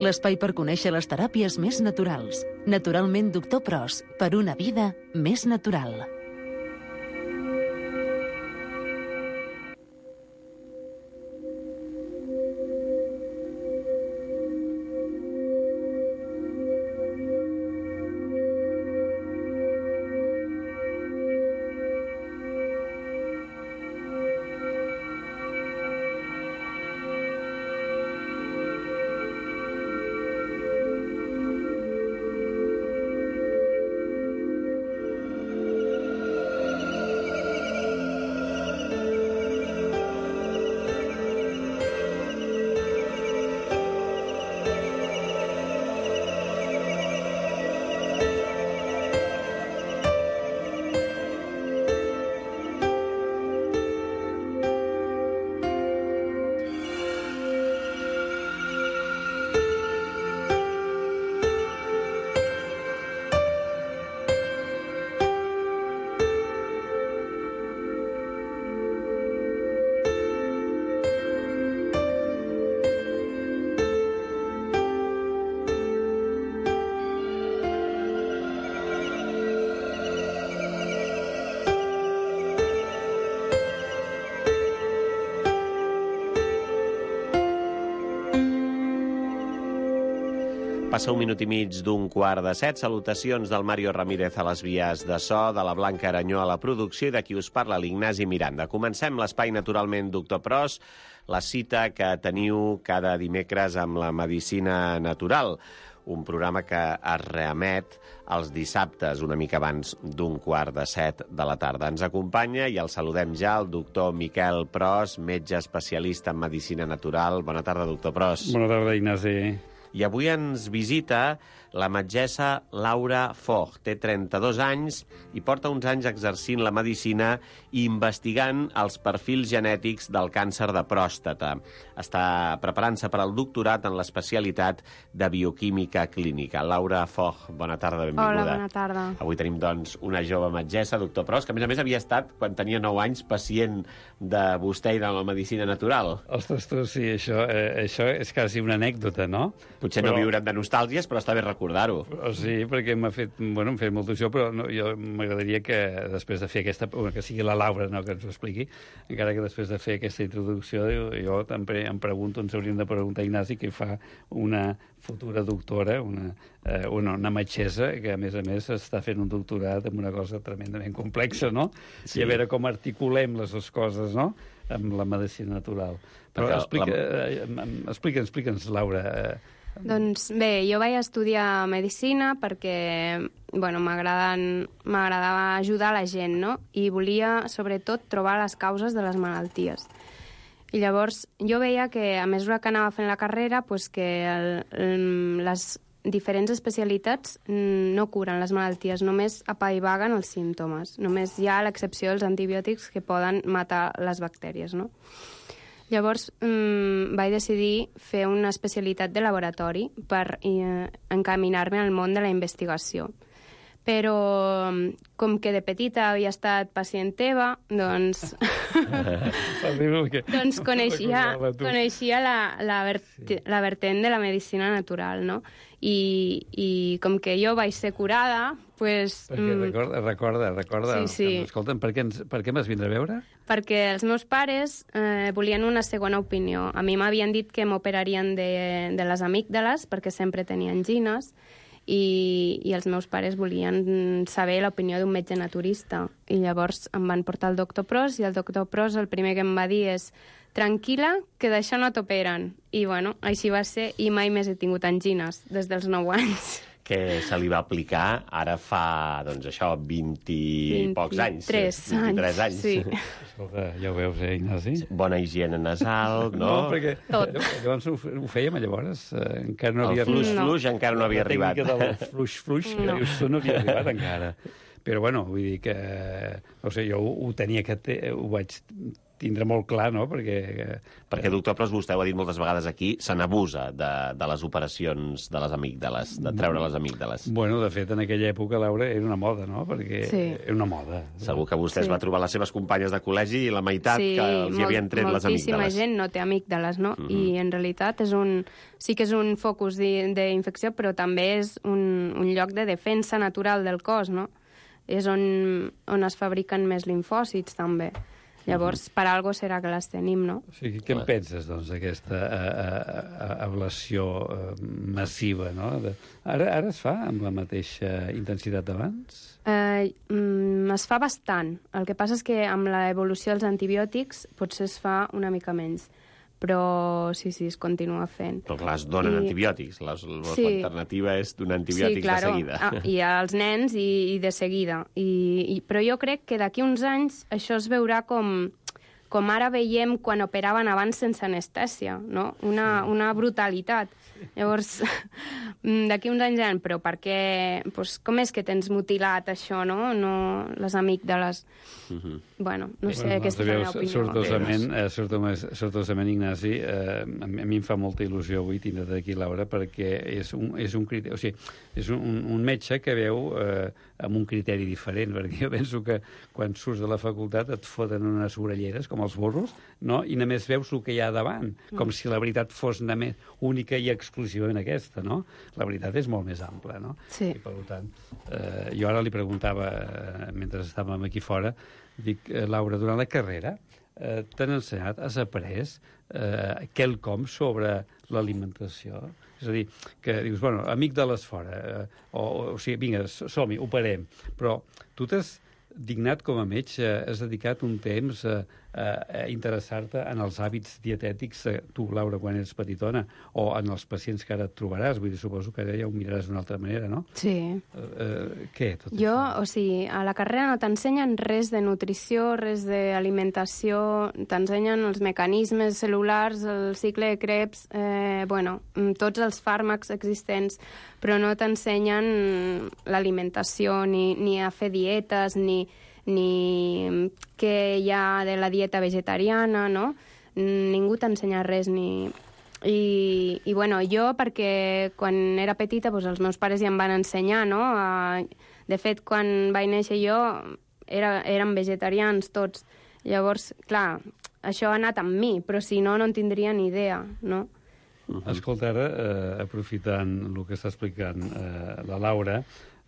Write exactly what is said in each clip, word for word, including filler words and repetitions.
L'espai per conèixer les teràpies més naturals. Naturalment doctor Pros, per una vida més natural. Passa un minut i mig d'un quart de set. Salutacions del Mario Ramírez a les vies de so, de la Blanca Aranyó a la producció i de qui us parla, l'Ignasi Miranda. Comencem l'espai Naturalment doctor Pros, la cita que teniu cada dimecres amb la medicina natural, un programa que es reemet els dissabtes, una mica abans d'un quart de set de la tarda. Ens acompanya i el saludem ja el doctor Miquel Pros, metge especialista en medicina natural. Bona tarda, doctor Pros. Bona tarda, Ignasi. I avui ens visita la metgessa Laura Foch. Té trenta-dos anys i porta uns anys exercint la medicina i investigant els perfils genètics del càncer de pròstata. Està preparant-se per al doctorat en l'especialitat de bioquímica clínica. Laura Foch, bona tarda, benvinguda. Hola, bona tarda. Avui tenim, doncs, una jove metgessa, doctor Pros, que a més a més havia estat, quan tenia nou anys, pacient de vostè i de la medicina natural. Ostres, tu, sí, això, eh, això és quasi una anècdota, no? Potser però... no viure'n de nostàlgies, però està bé recordar-ho. Sí, perquè m'ha fet, bueno, m'ha fet molta il·lusió, però no, jo m'agradaria que després de fer aquesta, que sigui la Laura, no, que ens ho expliqui, encara que després de fer aquesta introducció, jo, jo també em pregunto, ens hauríem de preguntar, Ignasi, què fa una futura doctora, una, eh, una, una metgessa, que a més a més està fent un doctorat en una cosa tremendament complexa, no? Sí. I a veure com articulem les dues coses, no?, amb la medicina natural. Però explica, la... eh, explica'ns, explica'ns, Laura. Eh, Doncs bé, jo vaig estudiar medicina perquè, bueno, m'agradava ajudar la gent, no? I volia, sobretot, trobar les causes de les malalties. I llavors jo veia que, a mesura que anava fent la carrera, pues que el, el, les diferents especialitats no curen les malalties, només apaivaguen els símptomes. Només hi ha l'excepció dels antibiòtics que poden matar les bactèries, no? Llavors mmm, vaig decidir fer una especialitat de laboratori per eh, encaminar-me al món de la investigació. Però, com que de petita havia estat pacient teva, doncs, doncs coneixia, coneixia la, la, vert, la vertent de la medicina natural, no? I, i com que jo vaig ser curada, pues... Perquè recorda, recorda, recorda. Sí, sí. Escolta'm, per què, ens, per què m'has vindre a veure? Perquè els meus pares eh, volien una segona opinió. A mi m'havien dit que m'operarien de, de les amígdales, perquè sempre tenia angines, i, i els meus pares volien saber l'opinió d'un metge naturista. I llavors em van portar al doctor Pros, i el doctor Pros el primer que em va dir és: tranquil·la, que d'això no t'operen. I bueno, així va ser, i mai més he tingut angines, des dels nou anys. Que se li va aplicar ara fa, doncs això, vint i pocs anys. vint-i-tres anys. Sí. Escolta, ja ho veus, eh, Ignasi? Bona higiene nasal, no? No, perquè Tot. llavors ho, ho fèiem, llavors, eh, encara no havia... El fluix-fluix no. encara no havia arribat. La tècnica del fluix-fluix, no. Això no havia arribat encara. Però, bueno, vull dir que... No sé, jo ho, ho tenia que... Te, ho vaig tindre molt clar, no? Perquè... Perquè, doctor Pros, vostè ho ha dit moltes vegades aquí, se n'abusa de, de les operacions de les amígdales, de treure les amígdales. Bueno, de fet, en aquella època, Laura, era una moda, no? Perquè Sí. era una moda. Segur que vostè es Sí. va trobar les seves companyes de col·legi i la meitat Sí, que els hi havien tret les moltíssima amígdales. gent no té amígdales, no? Uh -huh. I en realitat és un, sí que és un focus d'infecció, però també és un, un lloc de defensa natural del cos, no? És on, on es fabriquen més linfòcits, també. Llavors, per algo serà que les tenim, no? O sigui, què en penses, doncs, d'aquesta ablació massiva, no? De... Ara, ara es fa amb la mateixa intensitat d'abans? Eh, mm, es fa bastant. El que passa és que amb l'evolució dels antibiòtics potser es fa una mica menys. Però sí, sí, es continua fent. Però clar, es donen I... antibiòtics. La, la Sí. alternativa és donar antibiòtics sí, claro. de seguida. Ah, i als nens i, i de seguida. I, i, però jo crec que d'aquí uns anys això es veurà com, com ara veiem quan operaven abans sense anestèsia, no? Una, una brutalitat. Llavors, d'aquí uns anys, però per què... Pues, com és que tens mutilat això, no? no les amígdales. Uh-huh. Bueno, no sé, bueno, aquesta és la meva opinió. Sortosament, eh, sortosament, sortosament Ignasi, eh, a mi em fa molta il·lusió avui tindre aquí Laura, perquè és un, és un criteri, o sigui, és un, un metge que veu eh, amb un criteri diferent, perquè jo penso que quan surts de la facultat et foten unes orelleres, com els burros, no? I només veus el que hi ha davant, com mm. si la veritat fos només única i exclusivament aquesta, no? La veritat és molt més ampla, no? Sí. I, per tant, eh, jo ara li preguntava, eh, mentre estàvem aquí fora, dic, eh, Laura, durant la carrera eh, t'han ensenyat, has après eh, quelcom sobre l'alimentació? És a dir, que dius, bueno, amic de les fora, eh, o, o sigui, vinga, som-hi, operem, però tu t'has dignat com a metge, has dedicat un temps a, a interessar-te en els hàbits dietètics, tu, Laura, quan eres petitona, o en els pacients que ara et trobaràs, vull dir, suposo que ara ja ho miraràs d'una altra manera, no? Sí. Uh, uh, què, tot jo, això? o sigui, a la carrera no t'ensenyen res de nutrició, res d'alimentació, t'ensenyen els mecanismes cel·lulars, el cicle de Krebs, eh, bueno, tots els fàrmacs existents, però no t'ensenyen l'alimentació, ni, ni a fer dietes, ni, ni què hi ha de la dieta vegetariana, no? Ningú t'ensenya res, ni... I, i bueno, jo, perquè quan era petita doncs, els meus pares ja em van ensenyar, no? A, de fet, quan vaig néixer jo, era, érem vegetarians tots. Llavors, clar, això ha anat amb mi, però si no, no en tindria ni idea, no? Uh-huh. Escolta, ara, eh, aprofitant el que està explicant eh, la Laura,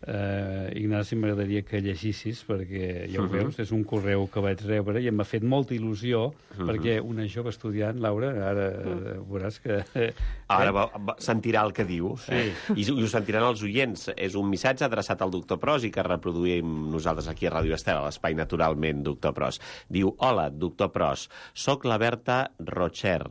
eh, Ignasi, m'agradaria que llegissis, perquè ja ho uh-huh. veus, és un correu que vaig rebre i em va fet molta il·lusió, uh-huh. perquè una jove estudiant, Laura, ara uh-huh. veuràs que... Eh, ara va, va, sentirà el que diu, sí. eh? I, i ho sentiran els oients. És un missatge adreçat al doctor Pros i que reproduïm nosaltres aquí a Ràdio Estel, a l'Espai Naturalment, doctor Pros. Diu, hola, doctor Pros, soc la Berta Rocher.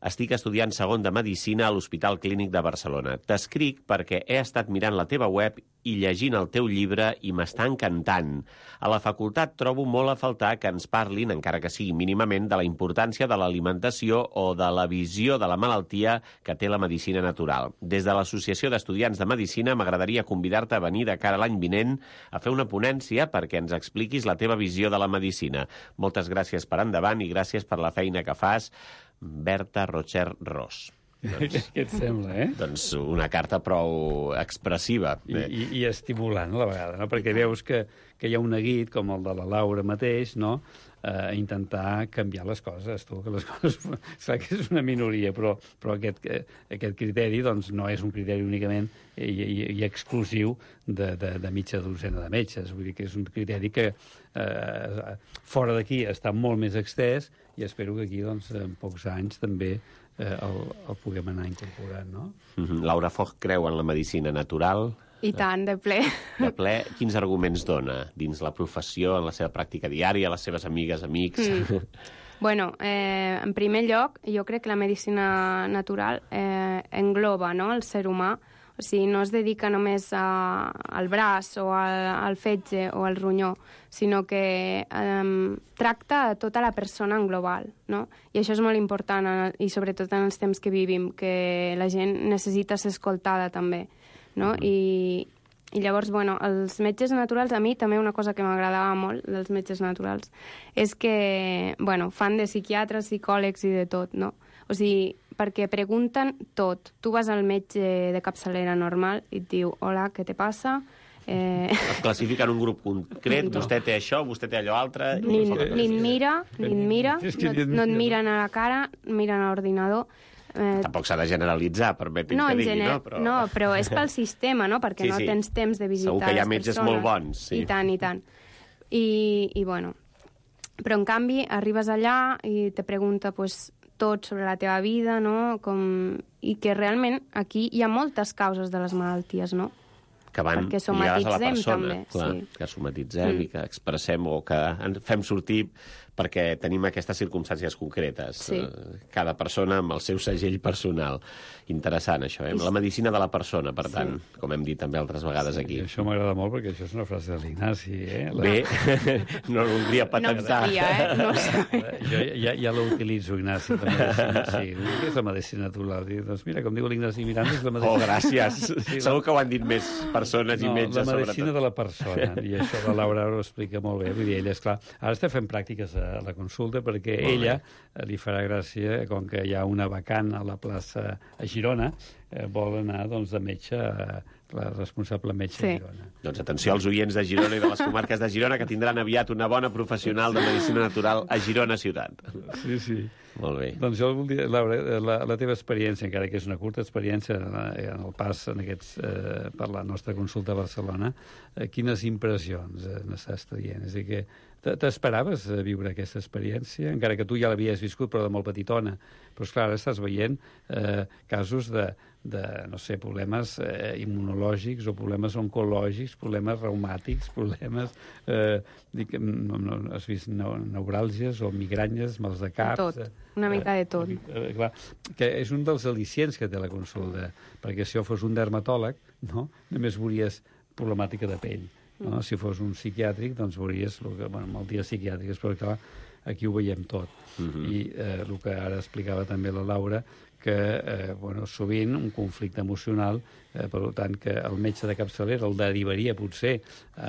Estic estudiant segon de Medicina a l'Hospital Clínic de Barcelona. T'escric perquè he estat mirant la teva web i llegint el teu llibre i m'està encantant. A la facultat trobo molt a faltar que ens parlin, encara que sigui mínimament, de la importància de l'alimentació o de la visió de la malaltia que té la medicina natural. Des de l'Associació d'Estudiants de Medicina m'agradaria convidar-te a venir de cara a l'any vinent a fer una ponència perquè ens expliquis la teva visió de la medicina. Moltes gràcies per endavant i gràcies per la feina que fas, Berta Rocher Ros. Doncs, què et sembla, eh? Doncs una carta prou expressiva. I, i, i estimulant a la vegada, no? Perquè veus que, que hi ha un neguit, com el de la Laura mateix, no? A intentar canviar les coses, tu, que les coses... Clar que és una minoria, però, però aquest, aquest criteri doncs, no és un criteri únicament i, i, i exclusiu de, de, de mitja dotzena de metges. Vull dir que és un criteri que eh, fora d'aquí està molt més extès i espero que aquí, doncs, en pocs anys també eh, el, el puguem anar incorporant, no? Mm-hmm. Laura Foch creu en la medicina natural. I tant, de ple. De ple, quins arguments dona dins la professió, en la seva pràctica diària, les seves amigues, amics? Mm. Bueno, eh, en primer lloc, jo crec que la medicina natural eh, engloba, no?, el ser humà. O sigui, no es dedica només a, al braç o al, al fetge o al ronyó, sinó que eh, tracta a tota la persona en global, no? I això és molt important, i sobretot en els temps que vivim, que la gent necessita ser escoltada també, no? I, I llavors, bueno, els metges naturals, a mi també una cosa que m'agradava molt dels metges naturals és que, bueno, fan de psiquiatres, psicòlegs i de tot, no? O sigui, perquè pregunten tot. Tu vas al metge de capçalera normal i et diu, hola, què te passa? Eh... Es classifica en un grup concret, no. Vostè té això, vostè té allò altre... Ni, ni et mira, ni et mira, no, no et miren a la cara, miren a l'ordinador. Eh... Tampoc s'ha de generalitzar, permeti'm no, que digui, gener... no? Però... no, però és pel sistema, no? Perquè sí, no sí. tens temps de visitar Segur que hi ha les metges persones. molt bons, sí. I tant, i tant. I, i bueno, però en canvi arribes allà i te pregunta pues, tot sobre la teva vida, no? Com... I que realment aquí hi ha moltes causes de les malalties, no? Que van perquè lligades a la persona, també, clar, sí. que somatitzem mm. i que expressem o que en fem sortir perquè tenim aquestes circumstàncies concretes. Sí. Cada persona amb el seu segell personal. Interessant, això, eh? La medicina de la persona, per tant, sí. com hem dit també altres vegades sí, aquí. Això m'agrada molt perquè això és una frase de l'Ignasi, eh? La... Bé, no ho voldria patentar. No ho sabia, eh? No ho sabia. Jo ja, ja l'utilitzo, Ignasi, la medicina, sí. Què és la medicina natural? I, doncs mira, com diu l'Ignasi Miranda, és la medicina... Oh, gràcies. Sí, la... Segur que ho han dit més persones no, i metges, sobretot. La medicina sobretot. de la persona, i això la Laura ho explica molt bé. Vull dir, ella, esclar, ara està fent pràctiques a la consulta perquè molt ella bé. Li farà gràcia, com que hi ha una vacant a la plaça a Girona, eh, vol anar doncs, de metge a la responsable metge sí. de Girona. Doncs atenció als oients de Girona i de les comarques de Girona, que tindran aviat una bona professional de medicina natural a Girona ciutat. Sí, sí. Molt bé. Doncs jo voldria, Laura, la, la teva experiència, encara que és una curta experiència en el pas en aquests, eh, per la nostra consulta a Barcelona, eh, quines impressions eh, n'estàs traient? És a dir, que t'esperaves viure aquesta experiència, encara que tu ja l'havies viscut, però de molt petitona. Però, esclar, ara estàs veient eh, casos de, de, no sé, problemes eh, immunològics o problemes oncològics, problemes reumàtics, problemes... Eh, dic, no, no, has vist neuràlgies o migranyes, mals de cap... Tot, una mica de tot. Eh, eh, clar, que és un dels al·licients que té la consulta, perquè si jo fos un dermatòleg, no? Només veuries problemàtica de pell. No? Si fos un psiquiàtric, doncs veuries el que, bueno, malalties psiquiàtriques, però clar, aquí ho veiem tot. Uh-huh. I eh, el que ara explicava també la Laura, que eh, bueno, sovint un conflicte emocional, eh, per tant que el metge de capçalera el derivaria potser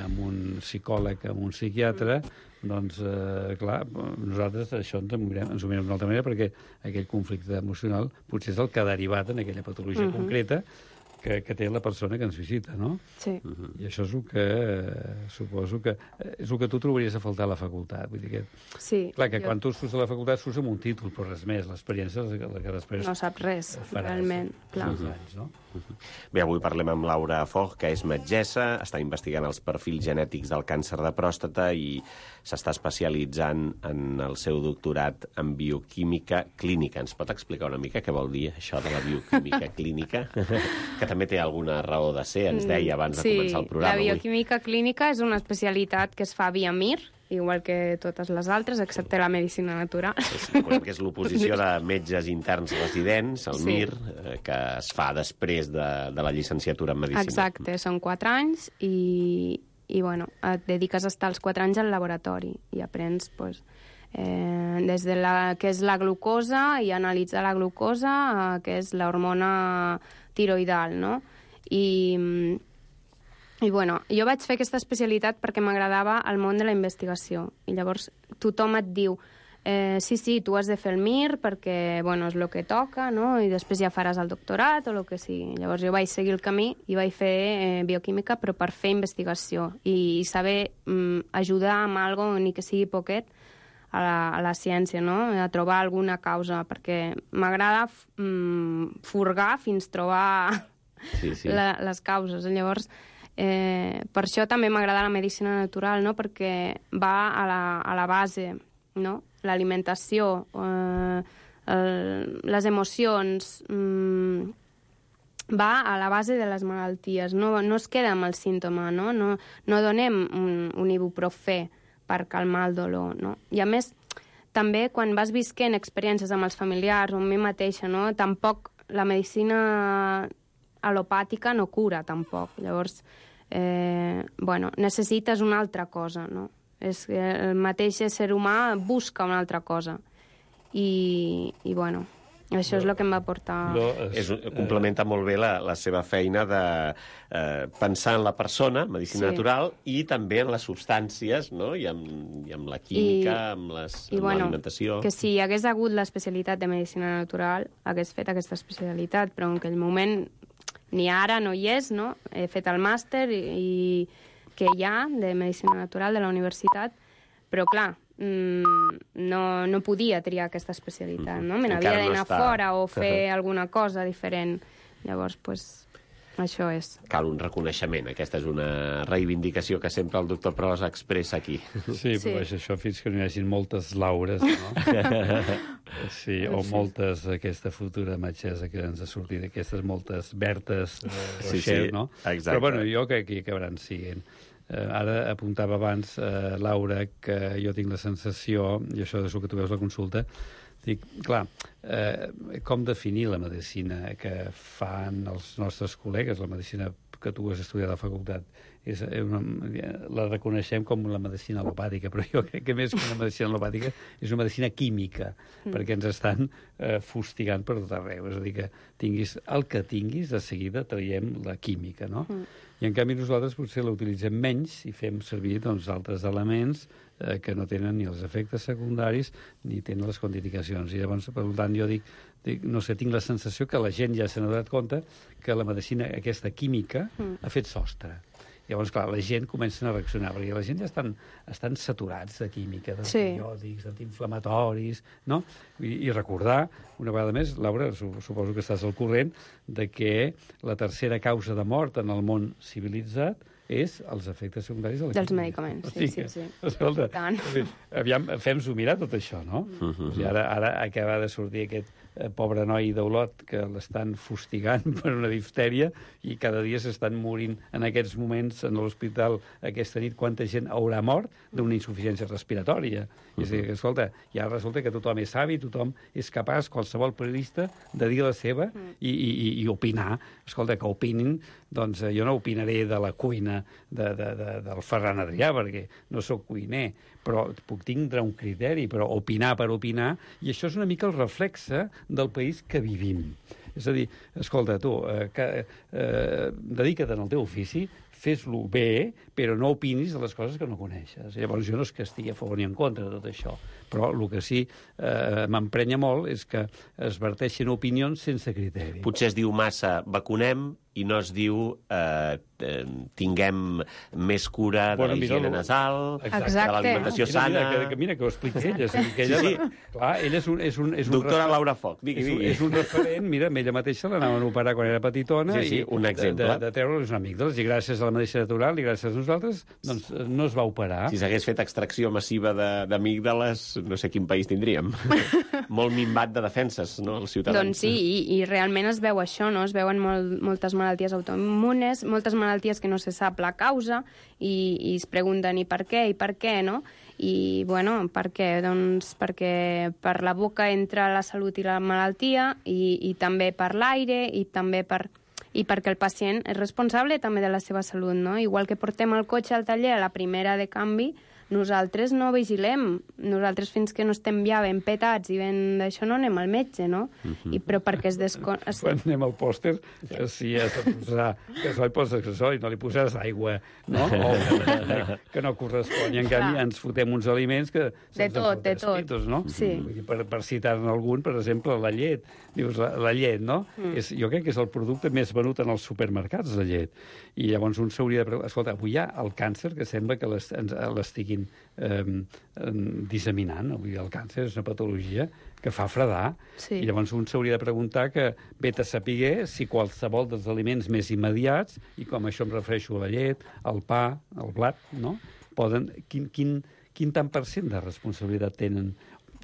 amb un psicòleg, amb un psiquiatre, doncs, eh, clar, nosaltres això ens ho mirem, ens ho mirem d'una altra manera perquè aquell conflicte emocional potser és el que ha derivat en aquella patologia uh-huh. concreta que, que té la persona que ens visita, no? Sí. Uh-huh. I això és el que, eh, suposo que, eh, és el que tu trobaries a faltar a la facultat. Vull dir que, sí. Clar, que jo... quan tu surts a la facultat surts amb un títol, però res més. L'experiència és la que després... No saps res, faràs, realment, clar. Uh-huh. Anys, no? Uh-huh. Bé, avui parlem amb Laura Foch, que és metgessa, està investigant els perfils genètics del càncer de pròstata i s'està especialitzant en el seu doctorat en bioquímica clínica. Ens pot explicar una mica què vol dir això de la bioquímica clínica? Que també té alguna raó de ser, ens deia abans sí, de començar el programa. Sí, la bioquímica avui. Clínica és una especialitat que es fa via M I R, igual que totes les altres, excepte la medicina natural. És, que és l'oposició de metges interns residents, el sí. M I R, eh, que es fa després de, de la llicenciatura en medicina. Exacte, són quatre anys i, i bueno, et dediques a estar els quatre anys al laboratori i aprens pues, eh, des de la, què és la glucosa i analitzar la glucosa, eh, què és l'hormona tiroidal, no? I, i bueno, jo vaig fer aquesta especialitat perquè m'agradava el món de la investigació. I llavors tothom et diu eh, sí, sí, tu has de fer el M I R perquè bueno, és el que toca, no? I després ja faràs el doctorat o el que sigui. Llavors jo vaig seguir el camí i vaig fer eh, bioquímica però per fer investigació i, i saber mm, ajudar amb algo, ni que sigui poquet, a la, a la ciència, no? A trobar alguna causa, perquè m'agrada mm, furgar fins trobar sí, sí. La, les causes. Llavors, eh, per això també m'agrada la medicina natural, no? Perquè va a la, a la base, no? L'alimentació, eh, el, les emocions, mm, va a la base de les malalties, no, no es queda amb el símptoma, no? No, no donem un, un ibuprofè per calmar el dolor, no? I a més, també quan vas visquent experiències amb els familiars o amb mi mateixa, no? Tampoc la medicina alopàtica no cura, tampoc. Llavors, eh, bueno, necessites una altra cosa, no? És que el mateix ésser humà busca una altra cosa. I, i bueno, Això és el que em va portar... No, és, complementa molt bé la, la seva feina de eh, pensar en la persona, medicina sí. natural, i també en les substàncies, no? I amb, i amb la química, I, amb l'alimentació... Bueno, que si hi hagués hagut l'especialitat de medicina natural, hagués fet aquesta especialitat, però en aquell moment ni ara no hi és, no? He fet el màster i, i que hi ha de medicina natural de la universitat, però clar, no, no podia triar aquesta especialitat, no? Me n'havia d'anar no està... fora o fer alguna cosa diferent. Llavors, pues, això és. Cal un reconeixement. Aquesta és una reivindicació que sempre el doctor Pros expressa aquí. Sí, però sí. Això fins que no hi hagi moltes Laures, no? Sí, o moltes, aquesta futura metgessa que ens ha sortit, aquestes moltes Bertes, eh, Rocher, sí, sí, no? Exacte. Però bueno, jo crec que acabaran siguent. Eh, ara apuntava abans, eh, Laura, que jo tinc la sensació, i això és el que tu veus la consulta, dic, clar, eh, com definir la medicina que fan els nostres col·legues, la medicina que tu has estudiat a la facultat, és una, la reconeixem com la medicina alopàtica, però jo crec que més que una medicina alopàtica és una medicina química, mm. perquè ens estan eh, fustigant per tot arreu. És a dir, que tinguis el que tinguis, de seguida traiem la química, no? Mm. I en canvi nosaltres potser la utilitzem menys i fem servir doncs, altres elements eh, que no tenen ni els efectes secundaris ni tenen les contraindicacions. I llavors, per tant, jo dic, dic, no sé, tinc la sensació que la gent ja s'ha donat compte que la medicina, aquesta química, mm. ha fet sostre. Llavors, clar, la gent comença a reaccionar, perquè la gent ja estan, estan saturats de química, d'antibiòtics, sí. d'antiinflamatoris, no? I, I recordar, una vegada més, Laura, suposo que estàs al corrent, de que la tercera causa de mort en el món civilitzat és els efectes secundaris de la dels química. medicaments, sí, sí, sí. Escolta, aviam, fem-s'ho mirar tot això, no? Uh -huh. O sigui, ara, ara acaba de sortir aquest eh, pobre noi d'Olot que l'estan fustigant per una diftèria i cada dia s'estan morint en aquests moments en l'hospital aquesta nit. Quanta gent haurà mort d'una insuficiència respiratòria? Uh -huh. És a dir, que, escolta, ja resulta que tothom és savi, tothom és capaç, qualsevol periodista, de dir la seva uh -huh. i, i, i opinar. Escolta, que opinin, doncs jo no opinaré de la cuina de, de, de, del Ferran Adrià, perquè no sóc cuiner, però puc tindre un criteri, però opinar per opinar, i això és una mica el reflexe del país que vivim. És a dir, escolta, tu, eh, que, eh, dedica't en el teu ofici, fes-lo bé, però no opinis de les coses que no coneixes. Llavors, jo no és que estigui a favor ni en contra de tot això, però el que sí eh, m'emprenya molt és que es verteixen opinions sense criteri. Potser es diu massa vacunem i no es diu eh, eh, tinguem més cura de bueno, la higiene nasal, Exacte. de l'alimentació mira, sana... Mira, que, mira que ho explica ella. És que ella, sí, sí. Clar, ella és un... És un, és un Doctora refer... Laura Foc, digui, digui. És un, és un referent, mira, amb ella mateixa l'anaven a operar quan era petitona, sí, sí, i un exemple. de, de, de treure les amígdales, i gràcies a la medicina natural i gràcies a nosaltres, doncs no es va operar. Si s'hagués fet extracció massiva d'amígdales, no sé quin país tindríem. Molt minvat de defenses, no?, els ciutadans. Doncs sí, i, i realment es veu això, no? Es veuen molt, moltes malalties autoimmunes, moltes malalties que no se sap la causa, i, i es pregunten i per què, i per què, no? I, bueno, per què? Doncs perquè per la boca entra la salut i la malaltia, i, i també per l'aire, i també per... i perquè el pacient és responsable també de la seva salut, no? Igual que portem el cotxe al taller a la primera de canvi, nosaltres no vigilem. Nosaltres fins que no estem ja ben petats i ben d'això no anem al metge, no? Uh -huh. I, però perquè es descon... Quan anem al pòster, si has de posar gasoil, poses gasoil, no li poses aigua, no? O que no correspon. I en canvi ens fotem uns aliments que... De tot, de tot. Pitos, no? Sí. Per, per citar-ne algun, per exemple, la llet. Dius, la, la llet, no? Mm. És, jo crec que és el producte més venut en els supermercats, la llet. I llavors un s'hauria de preguntar, escolta, avui hi ha el càncer que sembla que l'estiguin eh, disseminant. Avui el càncer és una patologia que fa fredar. Sí. I llavors un s'hauria de preguntar que vet a saber si qualsevol dels aliments més immediats, i com això em refereixo a la llet, al pa, al blat, no? Poden, quin, quin, quin tant per cent de responsabilitat tenen?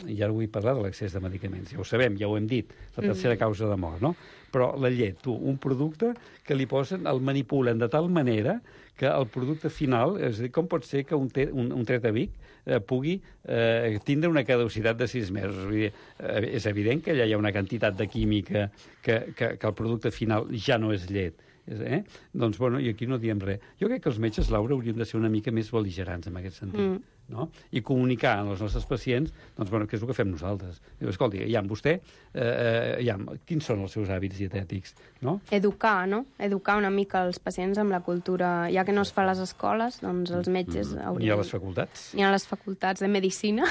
I ara vull parlar de l'accés de medicaments. Ja ho sabem, ja ho hem dit, la tercera mm. causa de mort, no? Però la llet, tu, un producte que li posen, el manipulen de tal manera que el producte final, és a dir, com pot ser que un, te, un, un Tretavic eh, pugui eh, tindre una caducitat de sis mesos? Vull dir, eh, és evident que allà hi ha una quantitat de química que, que, que el producte final ja no és llet. Eh? Doncs, bueno, i aquí no diem res. Jo crec que els metges, Laura, hauríem de ser una mica més bel·ligerants en aquest sentit. Mm. No? I comunicar als nostres pacients, doncs, bueno, què és el que fem nosaltres. Diu, escolti, ja, vostè, eh, ja, quins són els seus hàbits dietètics? No? Educar, no? Educar una mica els pacients amb la cultura, ja que no es fa a les escoles, doncs els metges mm. haurien... Ni a les facultats. Ni a les facultats de medicina.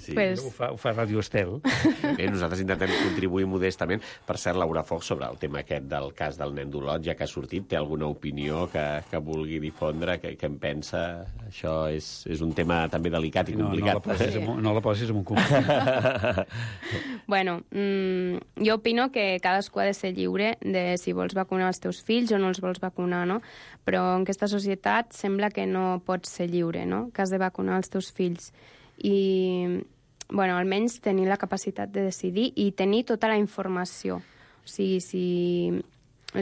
Sí. Pues... Ho fa, ho fa Radio Estel. Bé, nosaltres intentem contribuir modestament. Per cert, Laura Foch, sobre el tema aquest del cas del nen d'Olot, ja que ha sortit, té alguna opinió que, que vulgui difondre, que, que em pensa? Això és, és un tema també delicat i complicat. No, no, la, posis sí. en, no la posis en un conflicte. Bueno, mmm, jo opino que cadascú ha de ser lliure de si vols vacunar els teus fills o no els vols vacunar, no? Però en aquesta societat sembla que no pots ser lliure, no? Que has de vacunar els teus fills. I, bueno, almenys tenir la capacitat de decidir i tenir tota la informació. O sigui, si...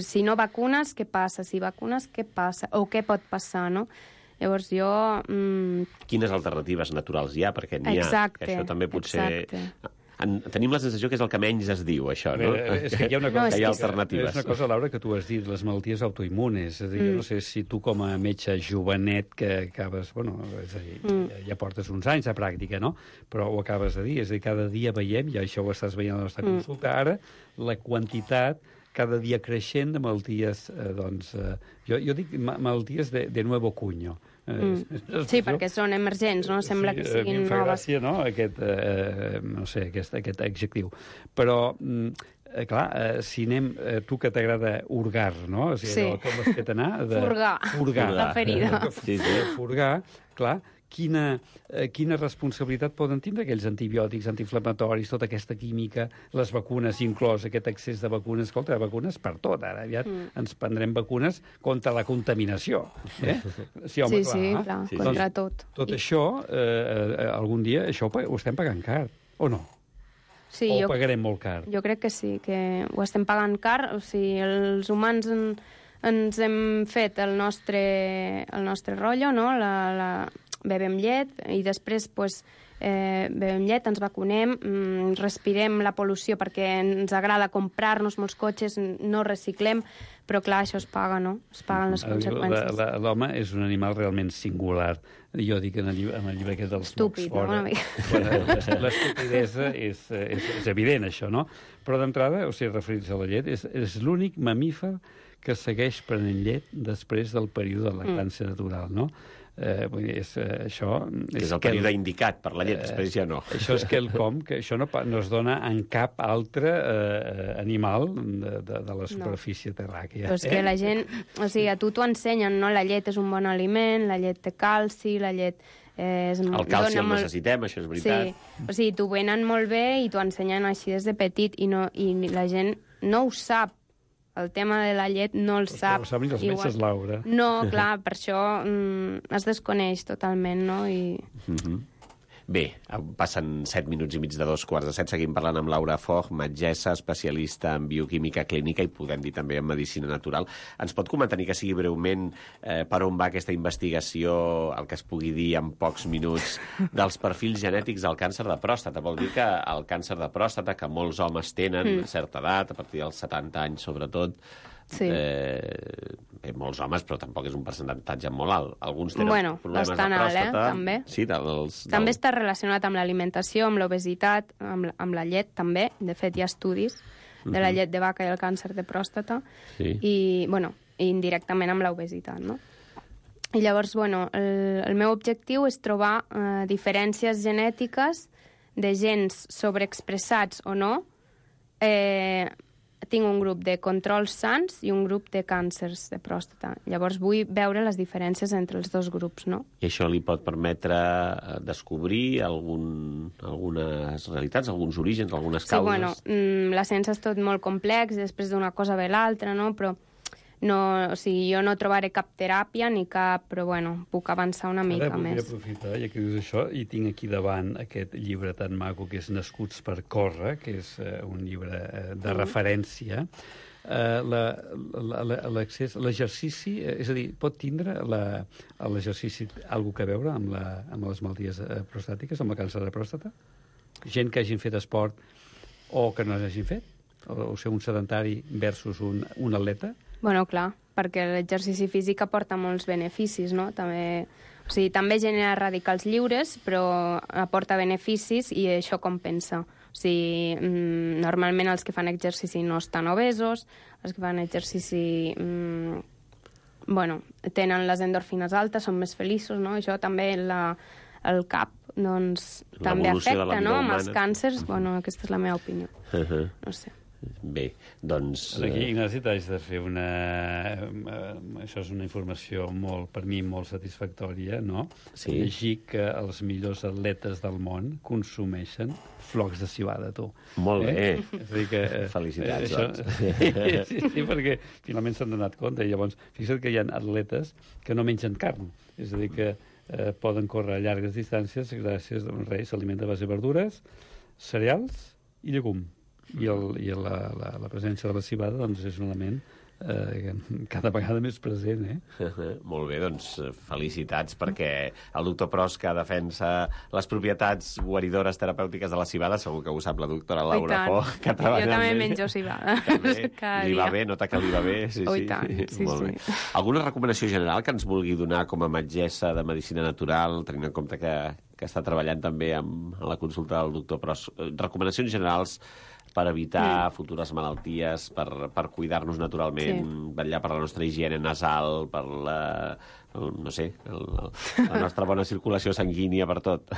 Si no vacunes, què passa? Si vacunes, què passa? O què pot passar, no? Llavors jo... Mmm... Quines alternatives naturals hi ha? Perquè n'hi ha. Exacte, això també potser... exacte. En, tenim la sensació que és el que menys es diu, això, no? Bé, és que hi ha una cosa, no, que hi ha que alternatives. És una cosa, Laura, que tu has dit, les malalties autoimmunes. És a dir, mm. jo no sé si tu com a metge jovenet que acabes... Bueno, és a dir, mm. ja, ja portes uns anys de pràctica, no? Però ho acabes de dir. És a dir, cada dia veiem, i això ho estàs veient a la nostra mm. consulta ara, la quantitat cada dia creixent de malalties, eh, doncs, eh, jo, jo dic ma malalties de, de nuevo cuño. Eh, mm. Sí, perquè són emergents, no? Sembla sí, que siguin noves. A mi em fa noves. gràcia, no?, aquest, eh, no sé, aquest, aquest adjectiu. Però, eh, clar, eh, si anem, eh, tu que t'agrada urgar, no? O sigui, sí. allò, com has fet anar? De... Furgar. Furgar. La ferida. Sí, sí. Furgar, clar, quina, eh, quina responsabilitat poden tindre aquells antibiòtics, antiinflamatoris, tota aquesta química, les vacunes, inclòs aquest excés de vacunes. Escolta, vacunes per tot, ara aviat mm. ens prendrem vacunes contra la contaminació. Eh? Sí, home, sí, clar, sí, clar, sí, contra sí. tot. Tot I... això, eh, algun dia, això ho estem pagant car, o no? Sí, o jo, ho pagarem molt car? Jo crec que sí, que ho estem pagant car. O sigui, els humans en, ens hem fet el nostre, el nostre rotllo, no? La, la, bevem llet i després pues, eh, bevem llet, ens vacunem, mm, respirem la pol·lució perquè ens agrada comprar-nos molts cotxes, no reciclem, però clar, això es paga, no? Es paguen les conseqüències. L'home és un animal realment singular. Jo dic en el llibre, en el llibre aquest dels Estúpid, mocs fora. No? L'estupidesa és, és, és evident, això, no? Però d'entrada, o sigui, referir-se a la llet, és, és l'únic mamífer que segueix prenent llet després del període de lactància mm. natural, no? Eh, vull dir, és, eh, això... És, és el període el, indicat per la llet, eh, després ja no. Això és quelcom que això no, no es dona en cap altre eh, animal de, de, de la superfície no. terràquea. Però és eh? que la gent... O sigui, a tu t'ho ensenyen, no? La llet és un bon aliment, la llet té calci, la llet... Eh, és, el calci el molt... necessitem, això és veritat. Sí, o sigui, t'ho venen molt bé i t'ho ensenyen així des de petit i, no, i la gent no ho sap. El tema de la llet no el sap. No ho saben els metges, Laura. No, clar, per això mm, es desconeix totalment, no? I... Mm-hmm. Bé, passen set minuts i mig de dos quarts de set. Seguim parlant amb Laura Foch, metgessa, especialista en bioquímica clínica i podem dir també en medicina natural. Ens pot comentar, ni que sigui breument, eh, per on va aquesta investigació, el que es pugui dir en pocs minuts, dels perfils genètics del càncer de pròstata? Vol dir que el càncer de pròstata, que molts homes tenen mm. a certa edat, a partir dels setanta anys sobretot, sí. eh, bé, molts homes, però tampoc és un percentatge molt alt. Alguns tenen bueno, problemes de pròstata. Alt, eh? També. Sí, dels, del... també està relacionat amb l'alimentació, amb l'obesitat, amb, amb la llet, també. De fet, hi ha estudis de la llet de vaca i el càncer de pròstata. Sí. I, bueno, indirectament amb l'obesitat, no? I llavors, bueno, el, el meu objectiu és trobar eh, diferències genètiques de gens sobreexpressats o no. Eh, tinc un grup de controls sans i un grup de càncers de pròstata. Llavors vull veure les diferències entre els dos grups, no? I això li pot permetre descobrir algun, algunes realitats, alguns orígens, algunes causes? Sí, bueno, la ciència és tot molt complex, després d'una cosa ve l'altra, no? Però no, o sigui, jo no trobaré cap teràpia ni cap, però bueno, puc avançar una mica Ara més. Ara aprofitar, ja que dius això, i tinc aquí davant aquest llibre tan maco que és Nascuts per córrer, que és uh, un llibre uh, de mm. referència. Uh, l'accés, l'exercici, és a dir, pot tindre l'exercici alguna que veure amb, la, amb les malalties prostàtiques, amb el càncer de pròstata? Gent que hagin fet esport o que no hagin fet? O, o ser un sedentari versus un, un atleta? Bueno, clar, perquè l'exercici físic aporta molts beneficis, no? També, o sigui, també genera radicals lliures, però aporta beneficis i això compensa. O sigui, mmm, normalment els que fan exercici no estan obesos, els que fan exercici mmm, bueno, tenen les endorfines altes, són més feliços, no? Això també la, el cap doncs, també afecta, no? Amb els càncers, bueno, aquesta és la meva opinió. Uh-huh. No sé. Bé, doncs... Aquí, Ignasi, t'haig de fer una... Això és una informació molt, per mi, molt satisfactòria, no? Sí. Llegir que els millors atletes del món consumeixen flocs de civada, tu. Molt bé. Eh? És a dir que... Felicitats, això... doncs. Sí, sí, perquè finalment s'han donat compte. I llavors, fixa't que hi ha atletes que no mengen carn. És a dir, que eh, poden córrer a llargues distàncies gràcies a un rei s'alimenta a base de verdures, cereals i llegum. I, el, i la, la, la presència de la civada doncs, és un element eh, cada vegada més present. Eh? Molt bé, doncs felicitats, perquè el doctor Pros, que defensa les propietats guaridores terapèutiques de la civada, segur que ho sap la doctora Laura Fo, que treballa. Jo també menjo civada. Li va bé, nota que li va bé. Sí, oh, sí. Tant, sí, Molt sí. bé. Alguna recomanació general que ens vulgui donar com a metgessa de medicina natural, tenint en compte que, que està treballant també amb, en la consulta del doctor Pros? Recomanacions generals per evitar mm. futures malalties, per, per cuidar-nos naturalment, sí. vetllar per la nostra higiene nasal, per la, el, no sé, el, el, la nostra bona circulació sanguínia, per tot.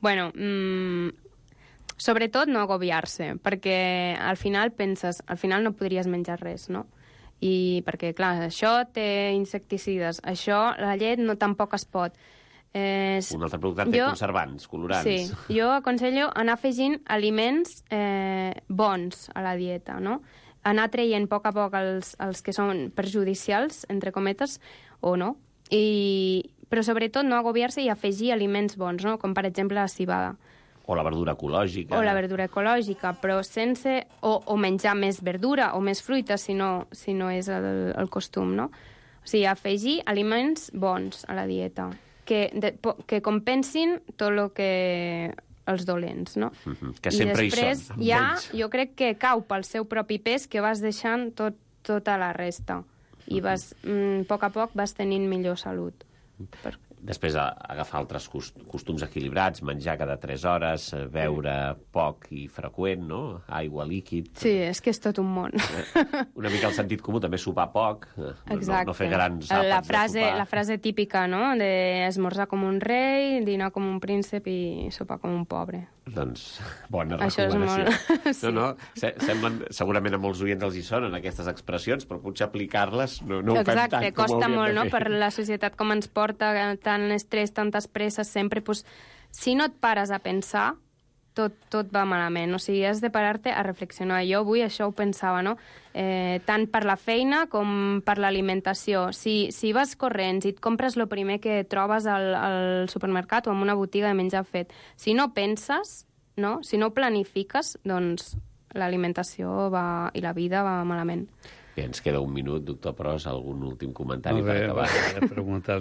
Bueno, mmm, sobretot no agobiar-se, perquè al final penses, al final no podries menjar res, no? I perquè, clar, això té insecticides, això, la llet no tampoc es pot. Eh, un altre producte té jo, conservants, colorants. Sí, jo aconsello anar afegint aliments eh, bons a la dieta, no? Anar traient a poc a poc els, els que són perjudicials, entre cometes, o no. I, però sobretot no agobiar-se i afegir aliments bons, no? Com per exemple la civada. O la verdura ecològica. O la verdura ecològica, però sense... O, o menjar més verdura o més fruita, si no, si no és el, el costum, no? O sigui, afegir aliments bons a la dieta. Que, de, que compensin tot el que els dolents, no? Mm-hmm. Que sempre hi són. I després ja, ells. Jo crec que cau pel seu propi pes que vas deixant tot, tota la resta. I vas, mm, a poc a poc vas tenint millor salut. Per... Després, a, agafar altres costums equilibrats, menjar cada tres hores, beure poc i freqüent, no? Aigua, líquid... Sí, és que és tot un món. Una mica el sentit comú, també sopar poc, Exacte. No, no fer grans àpats la frase, de sopar. La frase típica, no?, de esmorzar com un rei, dinar com un príncep i sopar com un pobre. Doncs, bona Això recomanació. És molt... sí. No, no, semblen, segurament a molts oients els hi sonen aquestes expressions, però potser aplicar-les no, no ho fem Exacte, tant com costa hauríem molt, de no?, fer. per la societat com ens porta tant estrès, tantes presses, sempre, pues, si no et pares a pensar, tot, tot va malament. O sigui, has de parar-te a reflexionar. Jo avui això ho pensava, no?, eh, tant per la feina com per l'alimentació. Si, si vas corrents i et compres el primer que trobes al, al supermercat o en una botiga de menjar fet, si no penses, no?, si no planifiques, doncs l'alimentació va, i la vida va malament. Bé, ens queda un minut, doctor Pros, algun últim comentari no, bé, per acabar?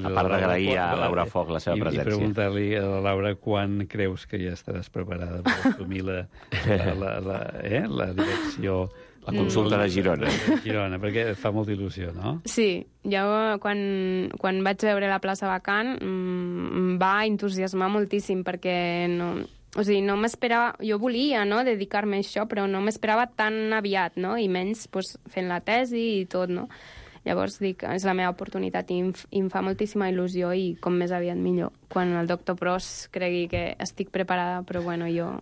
A part d'agrair a Laura Foc la seva i, presència. I preguntar-li a la Laura quan creus que ja estaràs preparada per assumir la, la, la, la, eh, la direcció... La consulta de Girona. De Girona, perquè fa molta il·lusió, no? Sí, jo quan, quan vaig veure la plaça vacant em va entusiasmar moltíssim perquè no... O sigui, no m'esperava... Jo volia, no?, dedicar-me a això, però no m'esperava tan aviat, no?, i menys pues, fent la tesi i tot, no? Llavors dic, és la meva oportunitat i em, i em fa moltíssima il·lusió i com més aviat millor. Quan el doctor Pros cregui que estic preparada, però bueno, jo...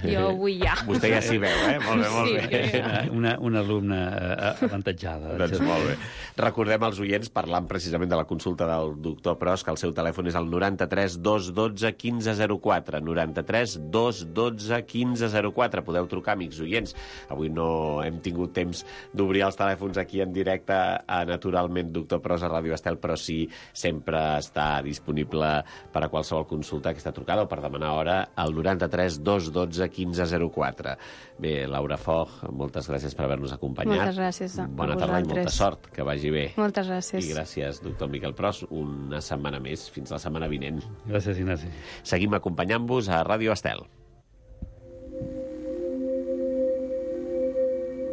Jo vull ja. Vostè ja s'hi veu, eh? Molt bé, molt Sí, bé. jo ja. Una, una alumna eh, avantatjada. Doncs molt bé. Recordem als oients, parlant precisament de la consulta del doctor Pros, que el seu telèfon és el noranta-tres dos dotze quinze zero quatre. noranta-tres dos dotze quinze zero quatre. Podeu trucar, amics oients. Avui no hem tingut temps d'obrir els telèfons aquí en directe a Naturalment Doctor Pros a Ràdio Estel, però sí sempre està disponible per a qualsevol consulta, aquesta trucada o per demanar hora al noranta-tres dos dotze quinze zero quatre. Bé, Laura Foch, moltes gràcies per haver-nos acompanyat. Moltes gràcies a Bona tarda i molta vosaltres. sort, que vagi bé. Moltes gràcies. I gràcies, doctor Miquel Pros, una setmana més, fins la setmana vinent. Gràcies, Ignasi. Seguim acompanyant-vos a Ràdio Estel.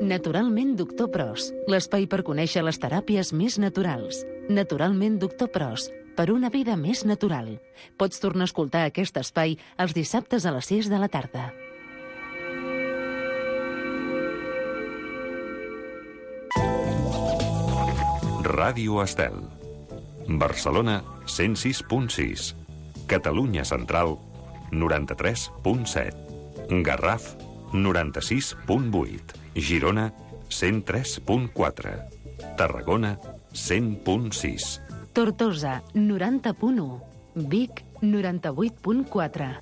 Naturalment Doctor Pros, l'espai per conèixer les teràpies més naturals. Naturalment Doctor Pros, per una vida més natural. Pots tornar a escoltar aquest espai els dissabtes a les sis de la tarda. Ràdio Estel. Barcelona, cent sis punt sis. Catalunya Central, noranta-tres punt set. Garraf, noranta-sis punt vuit. Girona, cent tres punt quatre. Tarragona, cent punt sis. Tortosa, noranta punt u. Vic, noranta-vuit punt quatre.